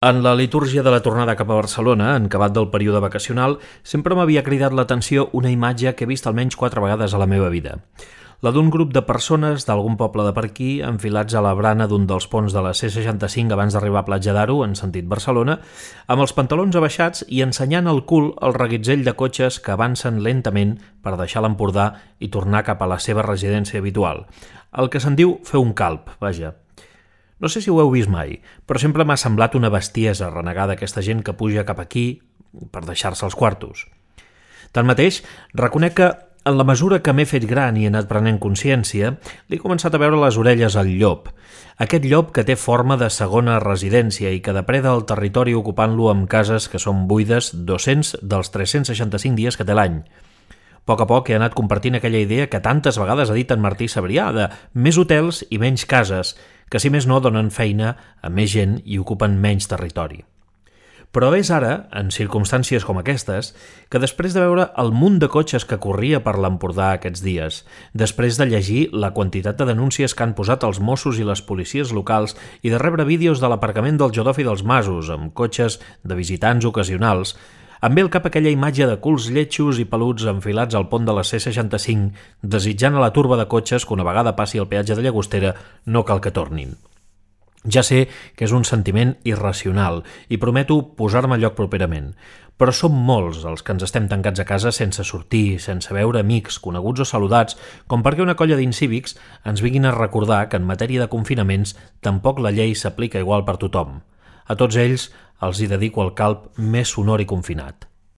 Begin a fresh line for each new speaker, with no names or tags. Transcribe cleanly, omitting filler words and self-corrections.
En la litúrgia de la tornada cap a Barcelona, en acabat del període vacacional, sempre m'havia cridat l'atenció una imatge que he vist almenys 4 vegades a la meva vida. La d'un grup de persones d'algun poble de per aquí, enfilats a la brana d'un dels ponts de la C65 abans d'arribar a Platja d'Aro, en sentit Barcelona, amb els pantalons abaixats i ensenyant al cul el reguitzell de cotxes que avancen lentament per deixar l'Empordà i tornar cap a la seva residència habitual. El que se'n diu fer un calp, vaja. No sé si ho heu vist mai, però sempre m'ha semblat una bestiesa renegar d'aquesta gent que puja cap aquí per deixar-se els quartos. Tanmateix, reconec que, en la mesura que m'he fet gran i he anat prenent consciència, li he començat a veure les orelles al llop. Aquest llop que té forma de segona residència i que depreda el territori ocupant-lo amb cases que són buides 200 dels 365 dies que té l'any. A poc he anat compartint aquella idea que tantes vegades ha dit en Martí Sabrià de més hotels i menys cases, que si més no donen feina a més gent i ocupen menys territori. Però és ara, en circumstàncies com aquestes, que després de veure el munt de cotxes que corria per l'Empordà aquests dies, després de llegir la quantitat de denúncies que han posat els Mossos i les policies locals i de rebre vídeos de l'aparcament del Jodofi dels Masos amb cotxes de visitants ocasionals, em ve al cap aquella imatge de culs lletjos i peluts enfilats al pont de la C65, desitjant a la turba de cotxes que una vegada passi el peatge de Llagostera no cal que tornin. Ja sé que és un sentiment irracional i prometo posar-me al lloc properament, però som molts els que ens estem tancats a casa sense sortir, sense veure amics, coneguts o saludats, com perquè una colla d'incívics ens vinguin a recordar que en matèria de confinaments tampoc la llei s'aplica igual per tothom. A tots ells els hi dedico el calp més sonor i confinat.